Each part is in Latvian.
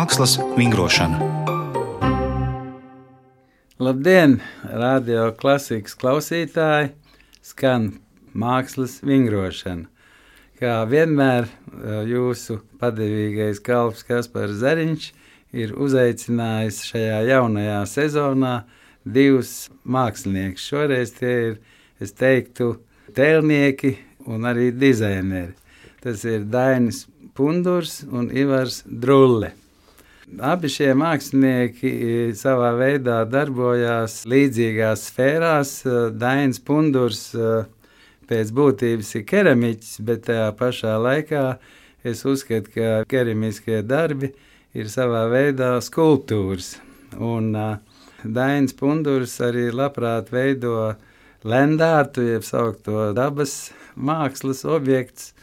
Mākslas vingrošana. Labdien, radio klasikas klausītāji, skan mākslas vingrošana. Kā vienmēr jūsu padevīgais kalps Kaspars Zariņš ir uzaicinājis šajā jaunajā sezonā divus māksliniekus. Šoreiz tie ir, es teiktu, tēlnieki un arī dizaineri. Tas ir Dainis Pundurs un Ivars Drulle. Abi šie mākslinieki savā veidā darbojās līdzīgās sfērās. Dainis Pundurs pēc būtības ir keramiķis, bet tajā pašā laikā es uzskatu, ka keramiskie darbi ir savā veidā skulptūras. Un Dainis Pundurs arī labprāt veido lendārtu, jeb saukto dabas mākslas objekts,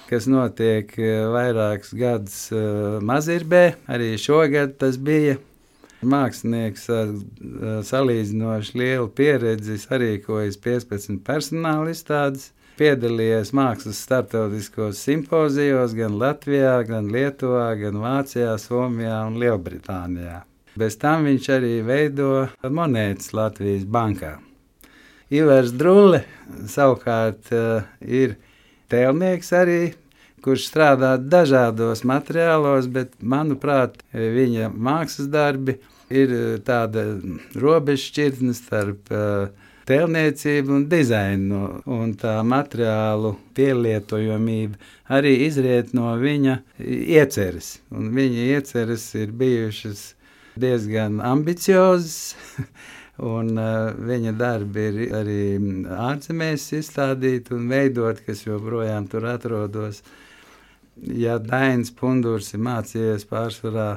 kas notiek vairākus gadus Mazirbē. Arī šogad tas bija. Mākslinieks ar salīdzinoši lielu pieredzi sarīkojas 15 personāla izstādes, piedalījies mākslas starptautiskos simpozijos gan Latvijā, gan Lietuvā, gan Vācijā, Somijā un Lielbritānijā. Bez tam viņš arī veido monētas Latvijas bankā. Ivars Drulle savukārt ir tēlnieks arī, kurš strādā dažādos materiālos, bet, manuprāt, viņa mākslas darbi ir tāda robežšķirtne starp tēlniecību un dizainu, un tā materiālu pielietojamība arī izriet no viņa ieceres. Un viņa ieceres ir bijušas diezgan ambiciozas, un viņa darbi ir arī ārzemēs izstādīti un veidot, kas joprojām tur atrodas. Ja Dainis Pundurs ir mācījies pārsvarā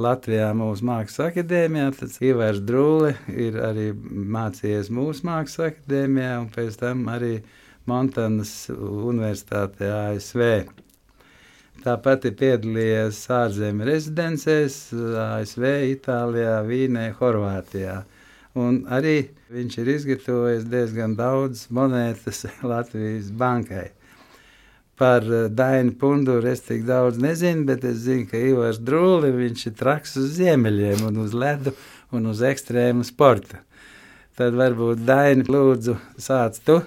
Latvijā mūsu mākslas akadēmijā, tad Ivars Drulle ir arī mācījies mūsu mākslas akadēmijā un pēc tam arī Montanas universitātē ASV. Tāpat ir piedalījies ārzemju rezidencēs ASV, Itālijā, Vīnē, Horvātijā. Un arī viņš ir izgatavojis diezgan daudz monētas Latvijas bankai. Par Dainu Punduru es tik daudz nezinu, bet es zinu, ka Ivars Drulle, viņš ir traks uz ziemeļiem un uz ledu un uz ekstrēmu sporta. Tad varbūt Daini, lūdzu, sāc tu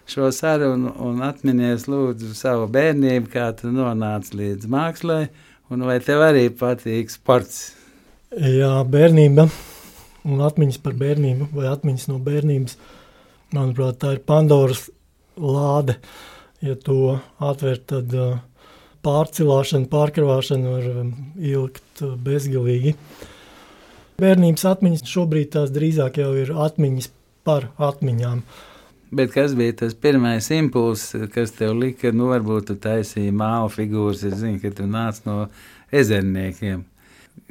šo sarunu un atminies lūdzu savu bērnību, kā tu nonāci līdz mākslai, un vai tev arī patīk sports? Jā, bērnība un atmiņas par bērnību vai atmiņas no bērnības, manuprāt, tā ir Pandoras lāde. Ja to atver, tad pārcilāšana, pārkravāšana var ilgt bezgalīgi. Bērnības atmiņas šobrīd tās drīzāk jau ir atmiņas par atmiņām. Bet kas bija tas pirmais impulss, kas tev lika, varbūt tu taisīji mālu figūras, es zinu, ka tu nāc no ezerniekiem,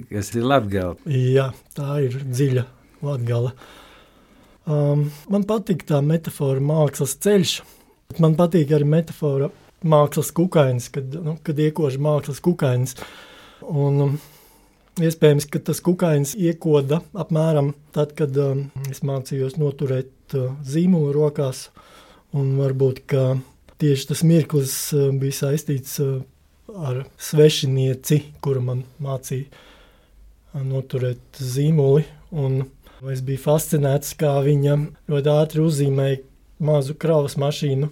kas ir Latgala. Jā, tā ir dziļa Latgala. Man patīk tā metafora mākslas ceļš. Man patīk arī metafora mākslas kukainis, kad iekož mākslas kukainis. Un iespējams, ka tas kukainis iekoda apmēram tad, kad es mācījos noturēt zīmolu rokās. Un varbūt, ka tieši tas mirklis bija saistīts ar svešinieci, kura man mācīja noturēt zīmoli. Un es biju fascinēts, kā viņa ļoti ātri uzzīmēja mazu kravas mašīnu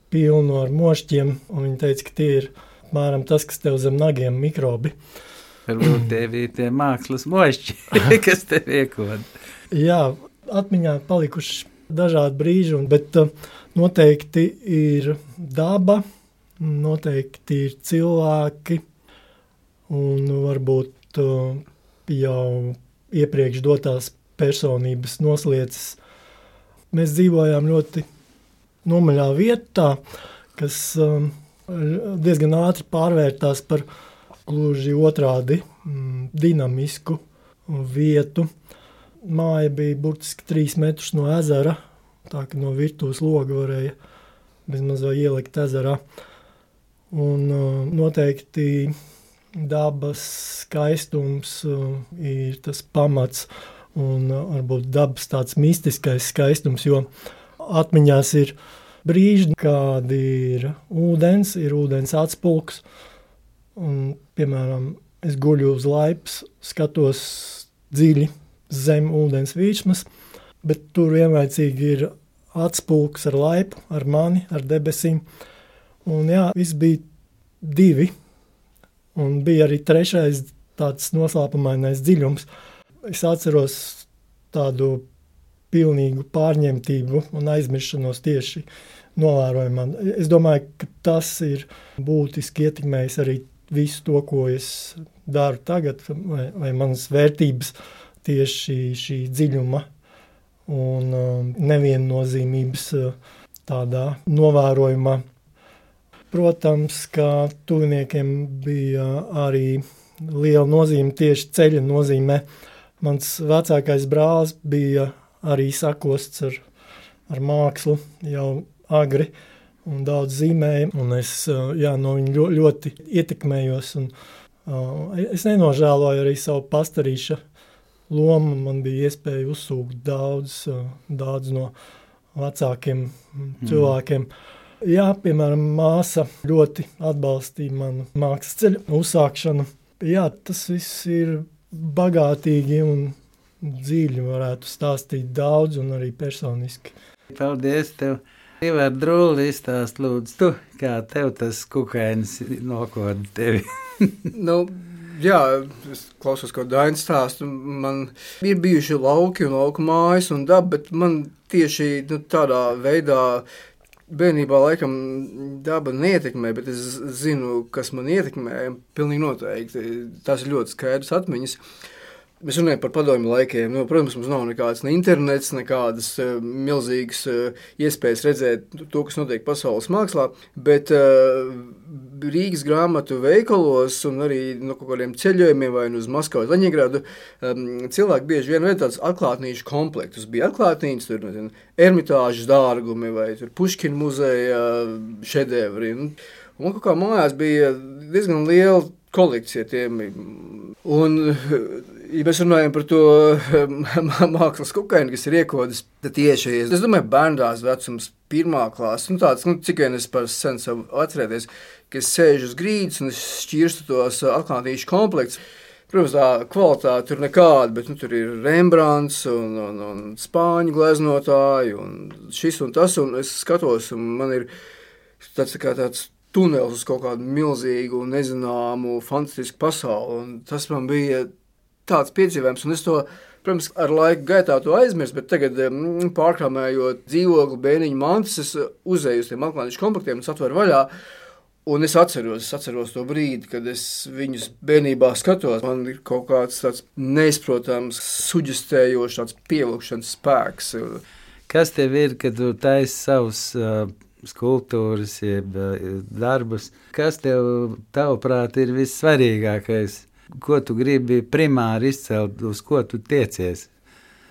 pilnu ar mošķiem, un viņa teica, ka tie ir apmēram tas, kas tev zem nagiem mikrobi. Varbūt tie bija tie mākslas mošķi, kas tev iekoda. Jā, atmiņā palikuši dažādi brīži, bet noteikti ir daba, noteikti ir cilvēki, un varbūt jau iepriekš dotās personības noslieces. Mēs dzīvojām ļoti nomaļā vietā, kas diezgan ātri pārvērtās par gluži otrādi dinamisku vietu. Māja bija burtiski 3 metrus no ezera, tā ka no virtuves loga varēja bezmaz vai ielikt ezerā. Un noteikti dabas skaistums ir tas pamats un varbūt dabas tāds mistiskais skaistums, jo atmiņās ir brīži, kādi ir ūdens atspulks, un, piemēram, es guļu uz laipas, skatos dziļi zem ūdens virsmas, bet tur vienlaicīgi ir atspulks ar laipu, ar mani, ar debesīm. Un jā, viss bija 2, un bija arī 3. tāds noslēpumainais dziļums. Es atceros tādu pilnīgu pārņemtību un aizmiršanos tieši novērojumā. Es domāju, ka tas ir būtiski ietekmējis arī visu to, ko es daru tagad, vai manas vērtības tieši šī dziļuma un neviennozīmības tādā novērojumā. Protams, ka tuviniekiem bija arī liela nozīme tieši ceļa nozīmē. Mans vecākais brālis bija arī sakosts ar mākslu jau agri un daudz zīmēja, un es no viņa ļoti ietekmējos. Un, es nenožēloju arī savu pastarīša lomu. Man bija iespēja uzsūkt daudz no vecākiem cilvēkiem. Jā, piemēram, māsa ļoti atbalstīja manu mākslas ceļu uzsākšanu. Jā, tas viss ir bagātīgi un dziļi, varētu stāstīt daudz un arī personiski. Paldies tev! Ivar Drūli izstāst lūdzu tu, kā tev tas kukainis nokoda tevi. Jā, es klausos, ko Dainis stāsta. Man ir bijuši lauki un lauku mājas un daba, bet man tieši tādā veidā bērnībā laikam daba neietekmē, bet es zinu, kas man ietekmē, pilnīgi noteikti. Tas ir ļoti skaidrs atmiņas. Mēs runājam par padomju laikiem. Protams, mums nav nekāds ne internets, nekādas milzīgas iespējas redzēt to, kas notiek pasaules mākslā, bet Rīgas grāmatu veikalos un arī no kaut kādiem ceļojumiem vai uz Maskavu, Leņņģeradu cilvēki bieži vien veic tādus atklātnīšu komplektus. Bija atklātnītes, tur Ermitāžas dārgumi vai tur Puškina muzeja šedevri. Un man kaut kā mājās bija diezgan liela kolekcija tiem. Un, ja mēs runājam par to mākslas kukaini, kas ir iekodas, tad tieši, es domāju, bērndās vecums 1. klāsts, tāds, cik vien es par sen savu atcerēties, ka es sēžu uz grīdas un es šķirstu tos atklātīšu komplektus. Protams, tā kvalitāte tur nekāda, bet tur ir Rembrandts un spāņu gleznotāji un šis un tas, un es skatos, un man ir tāds tunels uz kaut kādu milzīgu, nezināmu, fantastisku pasauli, un tas man bija tāds piedzīvojums, un es to, protams, ar laiku gaitā to aizmirst, bet tagad pārkrāmējot dzīvokli, bērniņu mantas, es uzēju uz tiem atklātīšu komplektiem un satveru vaļā, un es atceros to brīdi, kad es viņus bērnībā skatos. Man ir kaut kāds tāds neizprotams, suģestējošs, tāds pievilkšanas spēks. Kas tev ir, kad tu taisi savus skulptūras, jeb darbus? Kas tev, tavuprāt, ir vissvarīgākais? Ko tu gribi primāri izcelt, uz ko tu tiecies?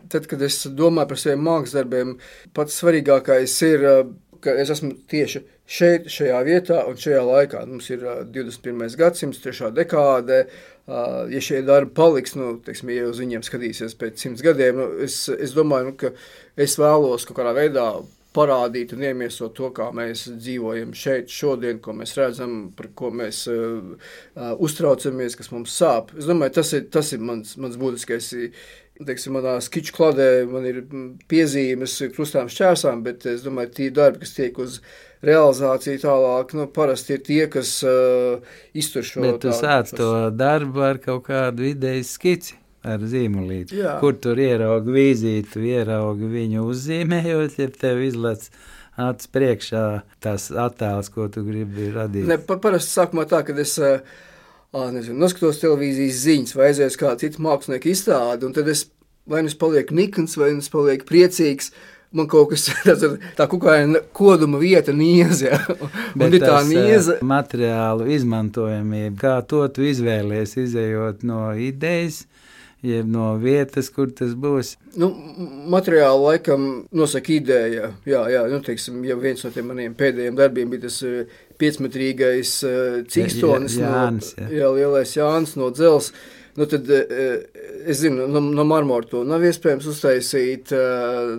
Tad, kad es domāju par saviem mākslas darbiem, pats svarīgākais ir, ka es esmu tieši šeit, šajā vietā un šajā laikā. Mums ir 21. gadsimts, 3. dekāde. Ja šie darbi paliks, ja uz viņiem skatīsies pēc 100 gadiem, es domāju, ka es vēlos kaut kādā veidā parādīt un iemiesot to, kā mēs dzīvojam šeit šodien, ko mēs redzam, par ko mēs uztraucamies, kas mums sāp. Es domāju, tas ir mans būtiskais. Manā skiču kladē man ir piezīmes krustām šķērsām, bet es domāju, tie darbi, kas tiek uz realizāciju tālāk, parasti ir tie, kas iztur šo. Bet tu sāc to darbu ar kaut kādu idejas skici. Ar zīmolīti. Jā. Kur tur ieraugi vīzīti, ieraugi viņu uzzīmējot, ja tev izlec acis priekšā tās attēls, ko tu gribi radīt. Parasti sākumā tā, kad es noskatos televīzijas ziņas vai aizies kā citu mākslinieku izstādi, un tad vai es palieku nikns, vai es palieku priecīgs, man kaut kas tā kukaina koduma vieta niez, ja. Bet tas nieza materiālu izmantojamība, kā to tu izvēlies, izējot no idejas, jeb no vietas, kur tas būs? Materiāli laikam nosaka ideja. Jā, teiksim, ja viens no tiem maniem pēdējiem darbiem bija tas 5-metrīgais cikstonis, Jānis, lielais Jānis no Dzels. nu tad es zinu, no marmora to nav iespējams uztaisīt,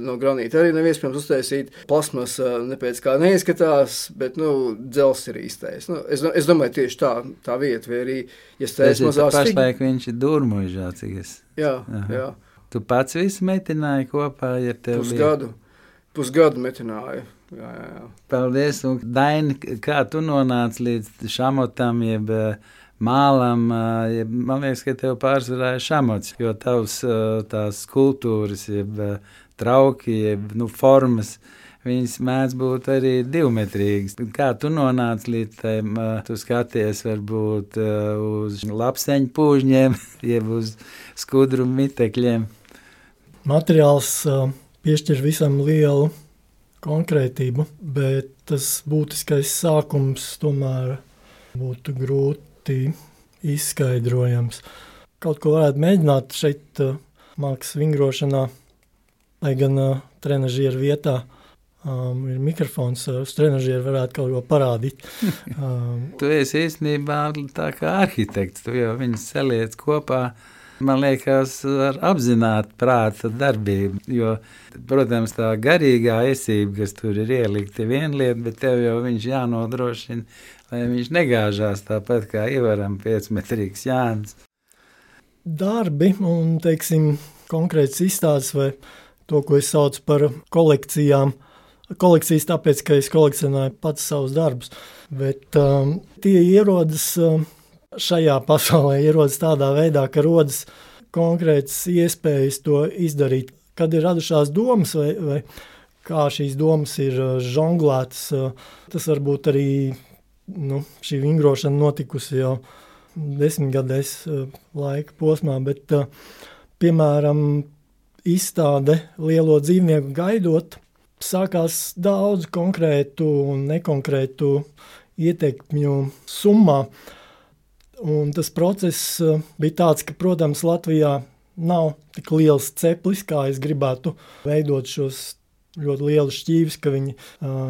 no granīta arī nav iespējams uztaisīt, plasmas ne pēc kā neizskatās, bet, dzels ir īstais. Es domāju, tieši tā vieta, vai arī, ja stēs mazās figūras. Pašlaik viņš ir Durmuižā, cik es. Jā. Tu pats visu metināji kopā, ja tev Pusgadu metināju. Jā. Paldies, un Daini, kā tu nonāci līdz šamotam, jeb mālam, man liekas, ka tev pārsvarā ir šamots, jo tavs tās skulptūras, jeb trauki, jeb formas, viņas mēdz būt arī 2-metrīgas. Kā tu nonāci līdz tiem, tu skaties varbūt uz lapseņu pūžņiem, jeb uz skudru mitekļiem? Materiāls piešķir visam lielu konkrētību, bet tas būtiskais sākums tomēr būtu grūti izskaidrojams. Kaut ko varētu mēģināt šeit mākslas vingrošanā, lai gan trenažieru vietā ir mikrofons, uz trenažieru varētu kaut ko parādīt. Tu esi īstenībā tā kā arhitekts, tu jau viņus saliec kopā. Man liekas, ar apzināti prāta darbību, jo, protams, tā garīgā esība, kas tur ir ielikta, ir viena lieta, bet tev jau viņš jānodrošina, lai viņš negāžās tāpat kā Ivaram 5-metrīgs Jānis. Darbi un, teiksim, konkrēts izstādes vai to, ko es saucu par kolekcijām. Kolekcijas tāpēc, ka es kolekcionēju pats savus darbus, bet tie ierodas šajā pasaulē, ierodas tādā veidā, ka rodas konkrētas iespējas to izdarīt. Kad ir radušās domas vai kā šīs domas ir žonglētas, tas varbūt arī šī vingrošana notikusi jau 10-gadēs laika posmā, bet, piemēram, izstāde Lielo dzīvnieku gaidot, sākās daudz konkrētu un nekonkrētu ietekmju summā. Un tas process bija tāds, ka, protams, Latvijā nav tik liels ceplis, kā es gribētu veidot šos ļoti lielus šķīvis, ka viņi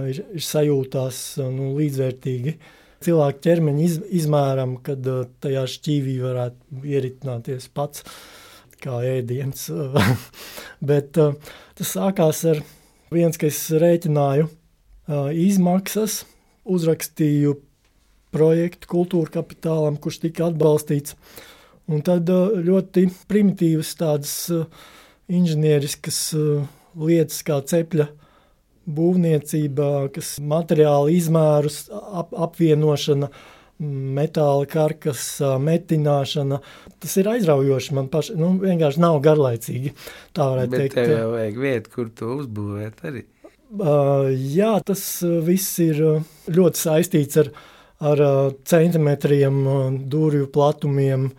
ir sajūtās līdzvērtīgi. Cilvēku ķermeņa izmēram, kad tajā šķīvī varētu ieritināties pats kā ēdiens. Bet tas sākās ar viens, ka es rēķināju izmaksas, uzrakstīju projektu Kultūra Kapitālam, kurš tika atbalstīts. Un tad ļoti primitīvas tādas inženieriskas lietas kā cepļa būvniecība, kas materiāla izmērus apvienošana, metāla karkas metināšana. Tas ir aizraujoši man paši, vienkārši nav garlaicīgi, tā varētu teikt. Bet tev jau vajag vietu, kur to uzbūvēt arī. Jā, tas viss ir ļoti saistīts ar centimetriem, durvju platumiem,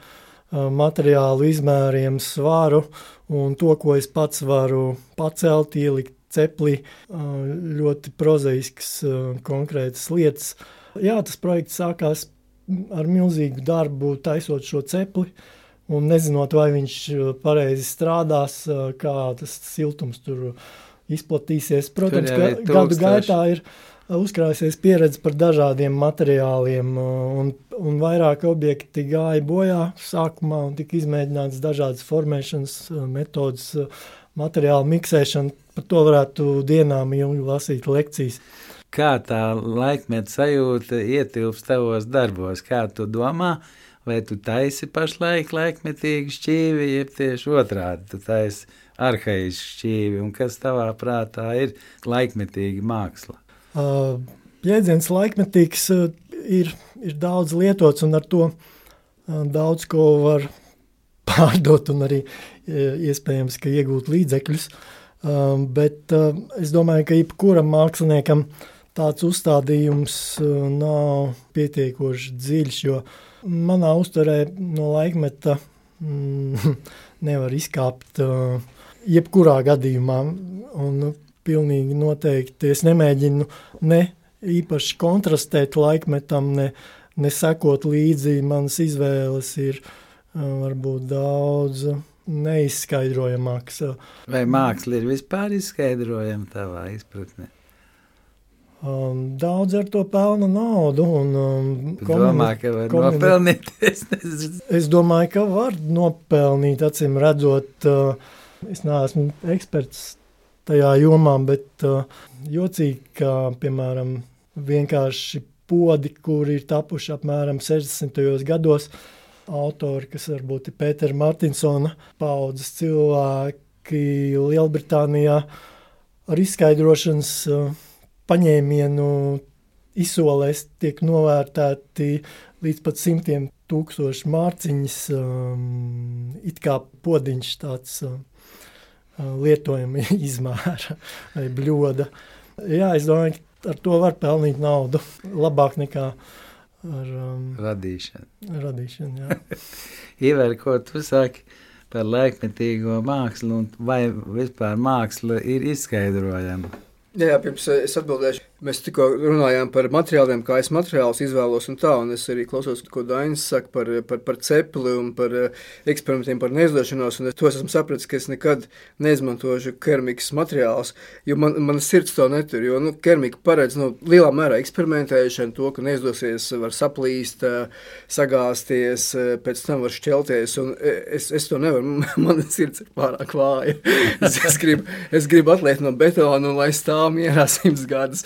materiālu izmēriem, svaru un to, ko es pats varu pacelt, ielikt ceplī, ļoti prozaisks konkrētas lietas. Jā, tas projekts sākās ar milzīgu darbu taisot šo cepli un nezinot, vai viņš pareizi strādās, kā tas siltums tur izplatīsies. Protams, ka gadu gaitā ir uzkrājusies pieredze par dažādiem materiāliem un vairāk objekti gāja bojā sākumā un tika izmēģināts dažādas formēšanas metodas, materiālu miksēšana. Par to varētu dienām ilgi lasīt lekcijas. Kā tā laikmeta sajūta ietilpst tavos darbos? Kā tu domā? Vai tu taisi pašlaik laikmetīgu šķīvi, jeb tieši otrādi, tu taisi arhaisku šķīvi? Un kas tavā prātā ir laikmetīga māksla? Jēdziens laikmetīgs ir daudz lietots un ar to daudz ko var pārdot un arī iespējams, ka iegūt līdzekļus. Bet es domāju, ka jebkuram māksliniekam tāds uzstādījums nav pietiekoši dziļš, jo manā uztverē no laikmeta nevar izkāpt jebkurā gadījumā un pilnīgi noteikti. Es nemēģinu ne īpaši kontrastēt laikmetam, ne sekot līdzi. Manas izvēles ir varbūt daudz neizskaidrojamāks. Vai māksla ir vispār izskaidrojama tavā izpratnē? Daudz ar to pelna naudu. Domā, ka var nopelnīt? Es domāju, ka var nopelnīt, acīm redzot. Es neesmu eksperts tajā jomā, bet jocīgi, ka, piemēram, vienkārši podi, kuri ir tapuši apmēram 60. gados, autori, kas varbūt ir Pētera Martinsona paudzes cilvēki Lielbritānijā ar izskaidrošanas paņēmienu izsolēs tiek novērtēti līdz pat 100,000 mārciņas, it kā podiņš tāds lietojama izmēra vai bļoda. Jā, es domāju, ka ar to var pelnīt naudu labāk nekā ar radīšanu, jā. Iver, ko tu saki par laikmetīgo mākslu un vai vispār māksla ir izskaidrojama? Jā, pirms es atbildēšu. Mēs tikko runājām par materiāliem, kā es materiālus izvēlos un tā, un es arī klausos, ko Dainis saka par cepli un par eksperimentiem, par neizdošanos, un to es esmu sapratis, ka es nekad neizmantošu keramikas materiālus, jo man sirds to netur, jo keramika paredz lielā mērā eksperimentēšanu, to, ka neizdosies, var saplīst, sagāsties, pēc tam var šķelties, un es to nevaru, man sirds ir pārāk vāja. Es gribu atliekt no betona, un lai stāv mierā 100 gadus.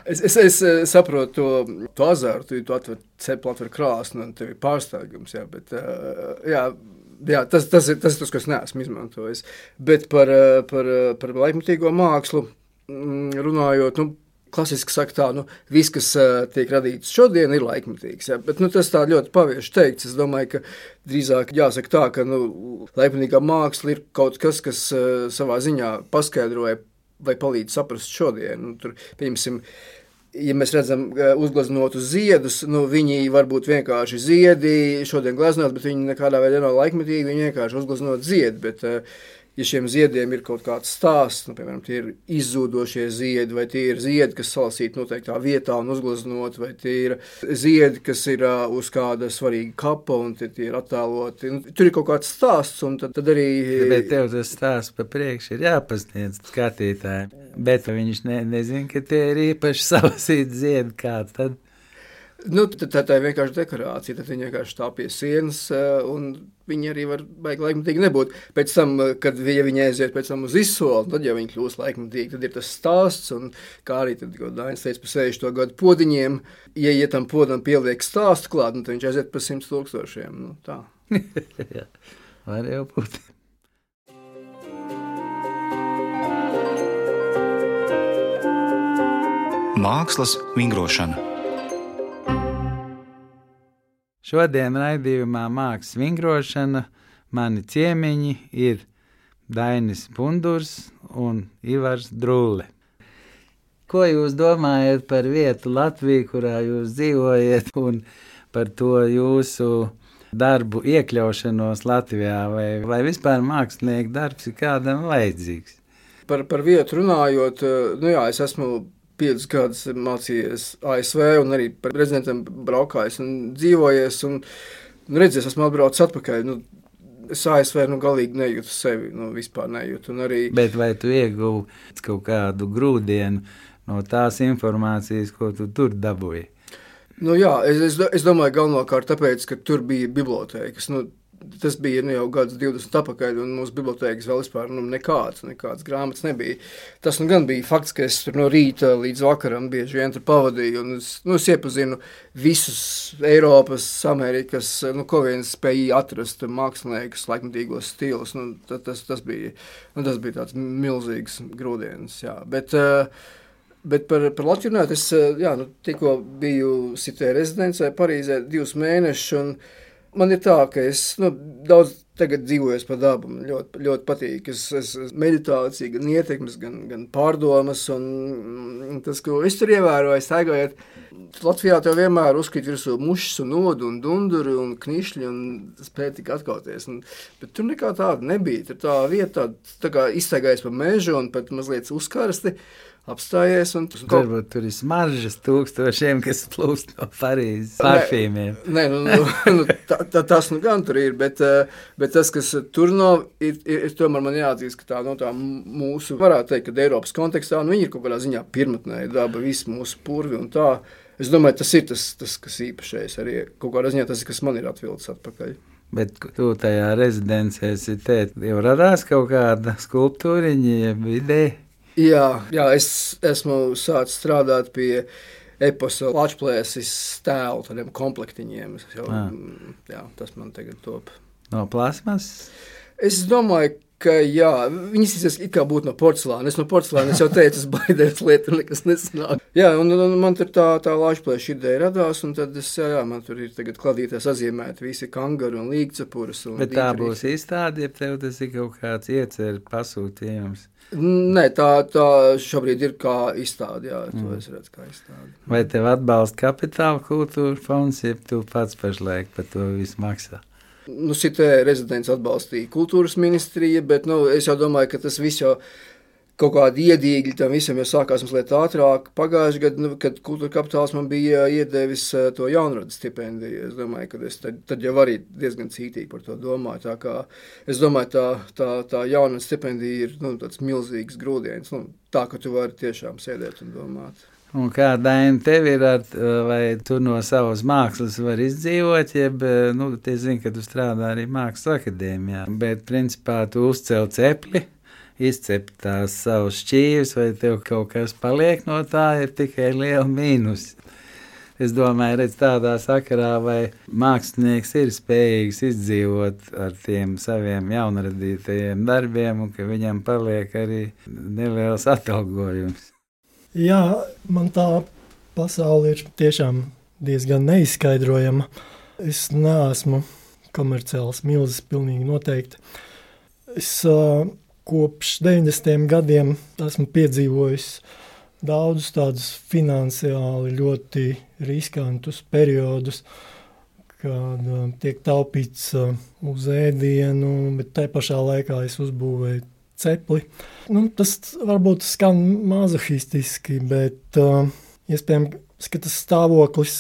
Es saprotu to azartu, tu atver cepli, atver krāsni, un tev ir pārsteigums, jā, bet tas ir tas, ko es neesmu izmantojis. Bet par laikmetīgo mākslu runājot, klasiski saka tā, viss, kas tiek radīts šodien, ir laikmetīgs, jā, bet tas tā ļoti pavieši teikts. Es domāju, ka drīzāk jāsaka tā, ka laikmetīgā māksla ir kaut kas, kas savā ziņā paskaidroja vai palīdz saprast šodien. Tur, pieņemsim, ja mēs redzam uzgleznotus ziedus, viņi varbūt vienkārši ziedi šodien gleznot, bet viņi nekādā veidā nav laikmetīgi, viņi vienkārši uzgleznot ziedi, bet ja šiem ziediem ir kaut kāds stāsts, piemēram, tie ir izzūdošie ziedi, vai tie ir ziedi, kas salasīti noteiktā vietā un uzgleznot, vai tie ir ziedi, kas ir uz kāda svarīga kapa un tie ir attēloti. Tur ir kaut kāds stāsts, un tad arī... Bet tev tas stāsts pa priekšu ir jāpasniedz skatītājiem, bet viņš nezin, ka tie ir īpaši salasīti ziedi kāds tad. Tā ir vienkārši dekorācija, tad viņi vienkārši stāv pie sienas, un viņi arī var baigi laikmetīgi nebūt. Pēc tam, kad viņi aiziet pēc tam uz izsoli, tad jau viņi kļūst laikmetīgi, tad ir tas stāsts, un kā arī tad, ko Dainis teica par 60. gadu podiņiem, ja tam podam pieliek stāstu klāt, tad viņš aiziet par 100,000, tā. Jā, var jau būt. Mākslas vingrošana. Šodien raidījumā Mākslas vingrošana mani ciemiņi ir Dainis Bundurs un Ivars Drulle. Ko jūs domājat par vietu Latviju, kurā jūs dzīvojat, un par to jūsu darbu iekļaušanos Latvijā, vai vispār mākslinieku darbs ir kādam vajadzīgs? Par vietu runājot, es esmu 5 gadus mācījies ASV un arī par rezidentam braukājis un dzīvojies un redzies, esmu atbraucis atpakaļ. Es ASV galīgi nejūtu sevi, vispār nejūtu. Un arī... Bet vai tu ieguvi kaut kādu grūdienu no tās informācijas, ko tu tur dabūji? Jā, es domāju galvenokārt tāpēc, ka tur bija bibliotēkas. Tas bija jau gadus 20 atpakaļ, un mūsu bibliotēkas vēl vispār nekādas grāmatas nebija. Tas gan bija fakts, ka es tur no rīta līdz vakaram bieži vien tur pavadīju, un es iepazinu visus Eiropas, Amerikas, ko vien spēja atrast māksliniekus, laikmetīgos stilus. Tas bija tāds milzīgs grūdienis, jā. Bet par Latviju runājot, es tikko biju Cité rezidencē Parīzē 2 mēnešus, un man ir tā, ka es daudz tagad dzīvoju pa dabu. Man ļoti, ļoti patīk. Es meditācija, gan ietekmes, gan pārdomas. Un tas, ko es tur ievēroju, staigājot, Latvijā tev vienmēr uzkrīt virsū mušas un odu un dunduri un knišļi un spēja tik atkauties. Bet tur nekā tāda nebija. Tur tā vieta tā kā izstaigājas pa mežu un pat mazliet uzkarsti. apstājies. Varbūt tur ir smaržas tūkstošiem, kas plūst no Parīzes parfīmiem. Nē, tas gan tur ir, bet tas, kas tur nav, ir tomēr man jāatzīst, ka tā mūsu, varētu teikt, ka Eiropas kontekstā, viņi ir kaut kādā ziņā pirmatnēja daba, visi mūsu purvi un tā. Es domāju, tas ir tas kas īpašais arī. Kaut kādā ziņā tas ir, kas man ir atvilcis atpakaļ. Bet tu tajā rezidencē jau radās kaut kāda skulptūriņa, jeb ideja? Jā, es esmu sācis strādāt pie eposa Lačplēsis tēlu, tādiem komplektiņiem. Tas man tagad top. No plasmas? Es domāju, ka jā, viņas it kā būtu no porcelāna. Es no porcelāna, es jau teicu, es baidējos lieta, nekas nesanāk. Jā, un man tur tā Lačplēša ideja radās, un tad man tur ir tagad kladītās atzīmēti visi kangari un līgcepuras. Bet tā būs izstāde, ja tev tas ir kaut kāds iecer pasūtījums? Nē, tā šobrīd ir kā izstāde, jā, to es redzu kā izstāde. Vai tev atbalsta Kapitāla kultūra fonds, ja tu pats pašlaik par to visu maksā? Šitē rezidents atbalstīja kultūras ministrija, bet es jau domāju, ka tas viss jau kaut kādi iedīgļi tam visam jau sākās mazliet ātrāk. Pagājuši gadu, kad Kultūra Kapitāls man bija iedevis to jaunradas stipendiju, es domāju, ka es tad jau arī diezgan cītīgi par to domāju. Tā kā es domāju, tā jaunradas stipendija ir tāds milzīgs grūdienis, tā, ka tu vari tiešām sēdēt un domāt. Un kā, Daina, tev ir, vai tu no savas mākslas vari izdzīvot, jeb, es zinu, ka tu strādā arī Mākslas akadēmijā, bet, principā, tu uzcēl cepli, izcep tās savas šķīves, vai tev kaut kas paliek no tā, ir tikai liela mīnus. Es domāju, redz tādā sakarā, vai mākslinieks ir spējīgs izdzīvot ar tiem saviem jaunradītajiem darbiem, un ka viņam paliek arī neliels atalgojums. Jā, man tā pasaule ir tiešām diezgan neizskaidrojama. Es neesmu komerciāls milzis, pilnīgi noteikti. Es kopš 90. gadiem esmu piedzīvojis daudzus tādus finansiāli ļoti riskantus periodus, kad tiek taupīts uz ēdienu, bet tai pašā laikā es uzbūvēju cepli. Tas varbūt skan mazohistiski, bet iespējams, ka tas stāvoklis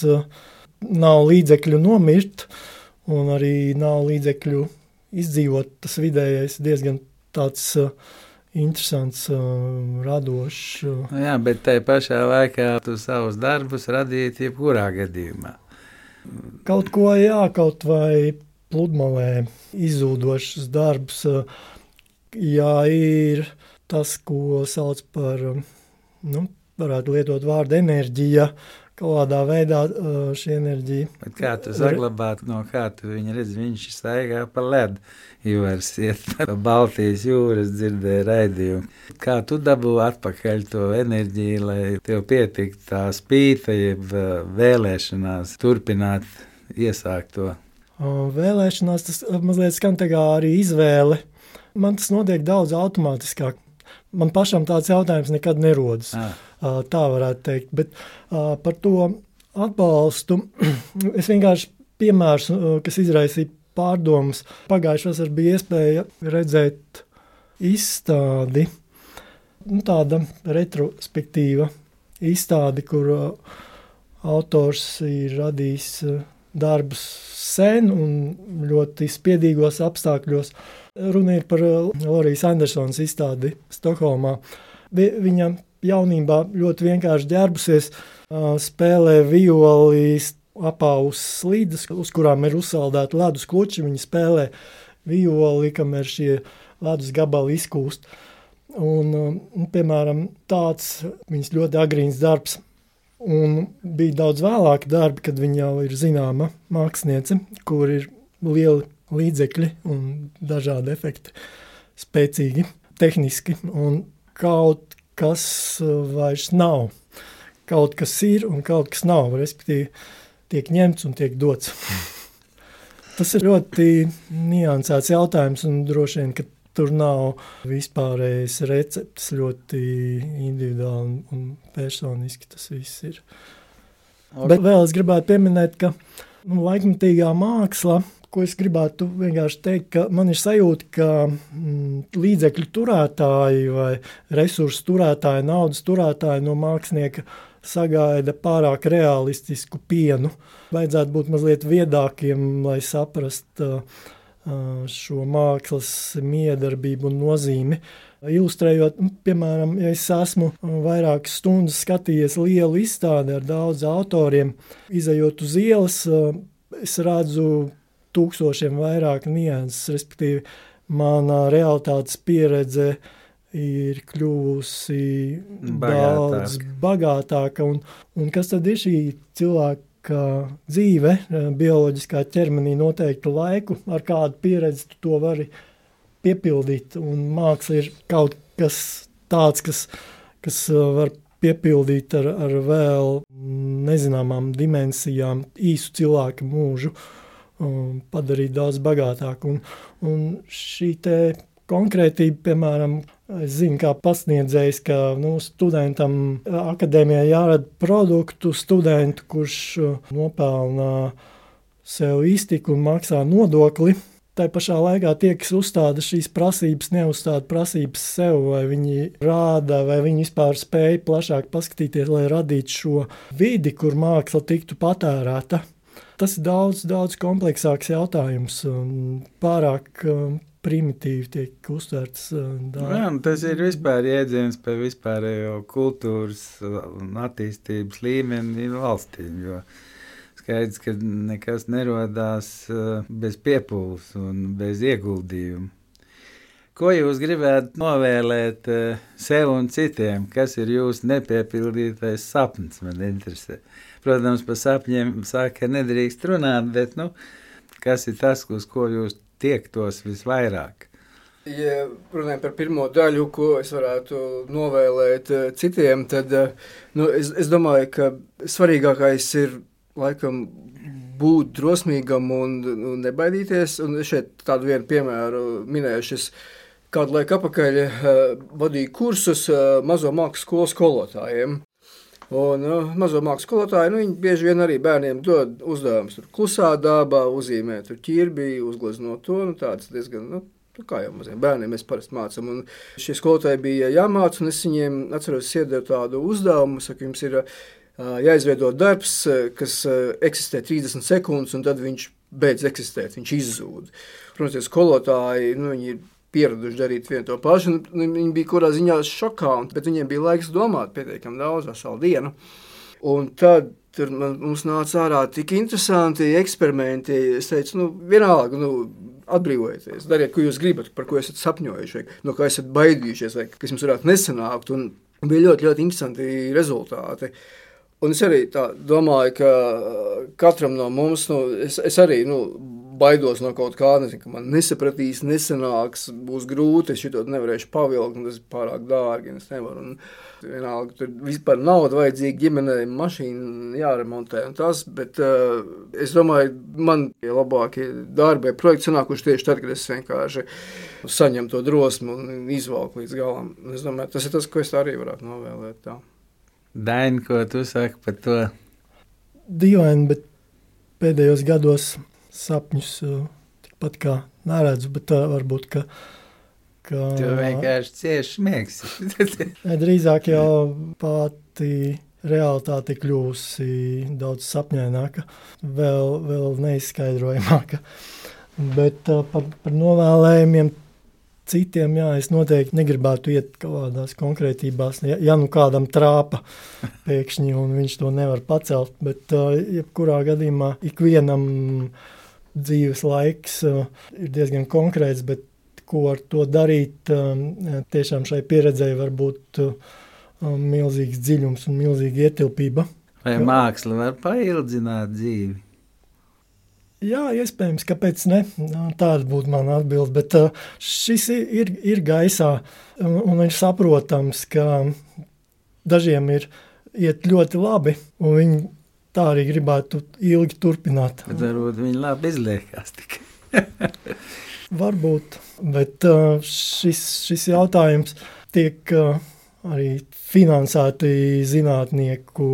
nav līdzekļu nomirt un arī nav līdzekļu izdzīvot. Tas vidējais diezgan tāds interesants, radošs. Jā, bet tai pašā laikā tu savus darbus radīti jebkurā gadījumā. Kaut ko, kaut vai pludmalē izzūdošs darbs. Jā, ir tas, ko sauc par, varētu lietot vārdu enerģija, kādā veidā šī enerģija. Bet kā tu saglabāt, no kā tu viņu redz, viņš staigā pa ledu, Ivars iet pa Baltijas jūras, dzirdēja raidījumu. Kā tu dabū atpakaļ to enerģiju, lai tev pietiktu tā spīta, jeb vēlēšanās turpināt iesākt to? Vēlēšanās, tas mazliet skan tā kā arī izvēle. Man tas notiek daudz automātiskāk. Man pašam tāds jautājums nekad nerodas. Tā varētu teikt. Bet par to atbalstu es vienkārši piemērs, kas izraisīja pārdomas. Pagājušajā vasarā bija iespēja redzēt izstādi, tāda retrospektīva izstādi, kur autors ir radījis darbus sen un ļoti spiedīgos apstākļos. Runa ir par Lorijas Andersonas izstādi Stokholmā. Viņa jaunībā ļoti vienkārši ģērbusies, spēlē violi apavus slīdes, uz kurām ir uzsaldēti ledus kluči. Viņa spēlē violi, kamēr šie ledus gabali izkūst. Un, piemēram, tāds viņas ļoti agrīns darbs. Un bija daudz vēlāki darbi, kad viņa jau ir zināma māksliniece, kur ir lieli līdzekļi un dažādi efekti, spēcīgi, tehniski, un kaut kas vairs nav. Kaut kas ir un kaut kas nav, respektīvi tiek ņemts un tiek dots. Tas ir ļoti niansēts jautājums, un droši vien, ka tur nav vispārējas receptes, ļoti individuāli un personiski tas viss ir. Bet vēl es gribētu pieminēt, ka laikmatīgā māksla, ko es gribētu vienkārši teikt, ka man ir sajūta, ka līdzekļu turētāji vai resursu turētāji, naudas turētāji no mākslinieka sagaida pārāk realistisku pienu. Vajadzētu būt mazliet viedākiem, lai saprastu šo mākslas miedarbību un nozīmi. Ilustrējot, piemēram, ja es esmu vairākas stundas skatījies lielu izstādi ar daudz autoriem, izejot uz ielas, es redzu tūkstošiem vairāk nianses, respektīvi mana realitātes pieredze ir kļuvusi daudz bagātāka. Un kas tad ir šī cilvēka dzīve, bioloģiskā ķermenī noteiktu laiku, ar kādu pieredzi tu to vari piepildīt, un māksla ir kaut kas tāds, kas var piepildīt ar vēl nezināmām dimensijām īsu cilvēka mūžu, padarīt daudz bagātāku. Un šī te konkrētība, piemēram, es zinu, kā pasniedzējs, ka studentam akadēmijā jārada produktu studentu, kurš nopelna sev iztiku un maksā nodokli. Tā pašā laikā tie, kas uzstāda šīs prasības, neuzstāda prasības sev, vai viņi rāda, vai viņi vispār spēja plašāk paskatīties, lai radītu šo vidi, kur māksla tiktu patērēta. Tas ir daudz kompleksāks jautājums un pārāk primitīvi tiek uztverts. Tas ir vispār jēdziens par vispārējo kultūras un attīstības līmeni valstīm, jo skaidrs, ka nekas nerodās bez piepūles un bez ieguldījuma. Ko jūs gribētu novēlēt sev un citiem? Kas ir jūsu nepiepildītais sapnis, man interesē? Protams, par sapņiem saka, nedrīkst runāt, bet kas ir tas, uz ko jūs tiektos visvairāk? Ja runājam par pirmo daļu, ko es varētu novēlēt citiem, tad es domāju, ka svarīgākais ir laikam būt drosmīgam un nebaidīties. Un šeit tādu vienu piemēru minējuši. Es kādu laiku apakaļ vadīju kursus mazo mākslas skolu skolotājiem. Un mazo mākslas skolotāji, viņi bieži vien arī bērniem dod uzdevumus klusā dabā, uzzīmē ķirbi, uzgleznot to, tāds diezgan, kā jau maziem bērniem mēs parasti mācam. Un šie skolotāji bija jāmāca, un es viņiem atceros, iedevu tādu uzdevumu, saku, jums ir jāizveido darbs, kas eksistē 30 sekundes, un tad viņš beidz eksistēt, viņš izzūd. Protams, tie skolotāji, viņi ir pieraduši darīt vienu to pašu, un viņi bija kurā ziņā šokā, bet viņiem bija laiks domāt pietiekami daudz, veselu dienu. Un tad mums nāca ārā tik interesanti eksperimenti, es teicu, vienalga, atbrīvojieties, dariet, ko jūs gribat, par ko esat sapņojuši, vai no kā esat baidījušies, vai kas jums varētu nesanākt, un bija ļoti, ļoti interesanti rezultāti. Un es arī tā domāju, ka katram no mums, es arī, baidos no kaut kā, nezinu, ka man nesapratīs, nesanāks, būs grūti, es šito nevarēšu pavilkt, un tas ir pārāk dārgi, un es nevaru. Un vienalga, tur vispār nauda vajadzīga ģimenei, mašīna jāremontē un tas, bet es domāju, man labākie darbi vai projekti sanākuši tieši tad, kad es vienkārši saņemu to drosmu un izvalku līdz galam. Es domāju, tas ir tas, ko es arī varētu novēlēt tā. Daini, ko tu saki par to? Dīvaini, bet pēdējos gados sapņus tikpat kā neredzu, bet varbūt, ka tu vienkārši cieši smieksi. Drīzāk jau pati realitāte kļūsi daudz sapņaināka, vēl neizskaidrojamāka. Bet par novēlējumiem citiem, es noteikti negribētu iet kaut kādās konkrētībās, ja kādam trāpa pēkšņi un viņš to nevar pacelt, bet jebkurā gadījumā ikvienam dzīves laiks ir diezgan konkrēts, bet ko ar to darīt, tiešām šai pieredzei var būt milzīgs dziļums un milzīga ietilpība. Vai māksla var paildzināt dzīvi? Jā, iespējams, kāpēc ne? Tāda būtu mana atbilde, bet šis ir gaisā un ir saprotams, ka dažiem iet ļoti labi, un viņi tā arī gribētu ilgi turpināt. Bet varbūt viņi labi izliekās tikai. Varbūt, bet šis jautājums tiek arī finansēti zinātnieku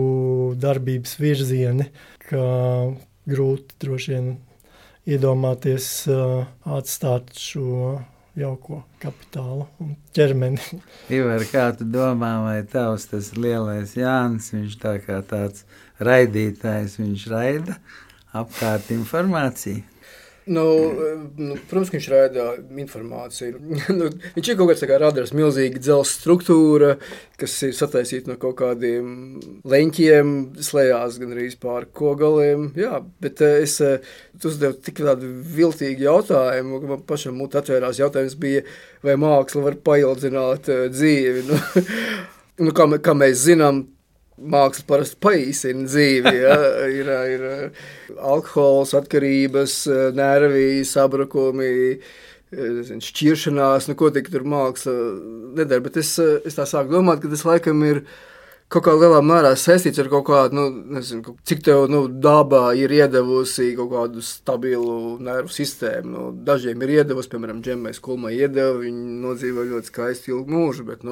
darbības virzieni, ka grūti droši vien iedomāties atstāt šo jauko kapitālu un ķermeni. Ivar, kā tu domā, vai tavs tas lielais Jānis, viņš tā kā tāds raidītājs, viņš raida apkārt informāciju? Protams, ka viņš raida informāciju. Viņš ir kaut kāds radars, milzīga dzelzs struktūra, kas ir sataisīta no kaut kādiem leņķiem, slējās gan arī pār kogaliem. Jā, bet es uzdevu tik tādu viltīgu jautājumu, ka man pašam mut atvērās jautājums bija, vai māksla var paildzināt dzīvi. Kā mēs zinām, māksla parasti paīsina dzīvi. Ja? Ir alkohols, atkarības, nervi, sabrakumi, šķiršanās, ko tik tur māksla nedara. Bet es tā sāku domāt, ka tas laikam ir kaut kā lielā mērā saistīts ar kaut kādu, cik tev dabā ir iedevusi kaut kādu stabilu nervu sistēmu. Dažiem ir iedevusi, piemēram, Džemmais Kulmai iedeva, viņi nodzīvo ļoti skaistu ilgu mūžu, bet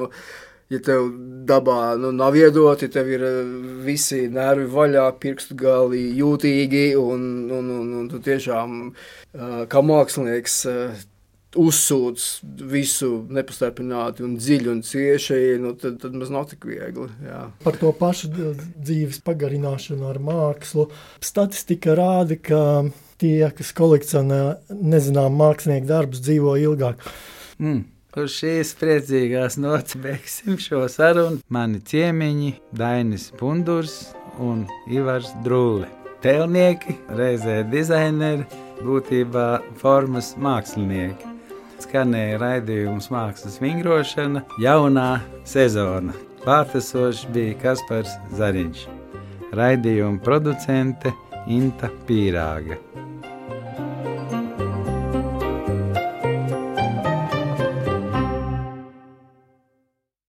ja tev dabā nav iedoti, tev ir visi nervi vaļā, pirkstu gali jūtīgi, un tu tiešām kā mākslinieks uzsūc visu nepastarpināti un dziļi un cieši, tad maz nav tik viegli. Jā. Par to pašu dzīves pagarināšanu ar mākslu. Statistika rāda, ka tie, kas kolekcionē nezinām mākslinieku darbus, dzīvo ilgāk. Uz šīs priecīgās nots beigsim šo sarunu. Mani ciemiņi Dainis Bundurs un Ivars Drūle. Tēlnieki, reizē dizaineri, būtībā formas mākslinieki. Skanēja raidījums Mākslas vingrošana, jaunā sezona. Pārtasošs bija Kaspars Zariņš. Raidījuma producente Inta Pīrāga.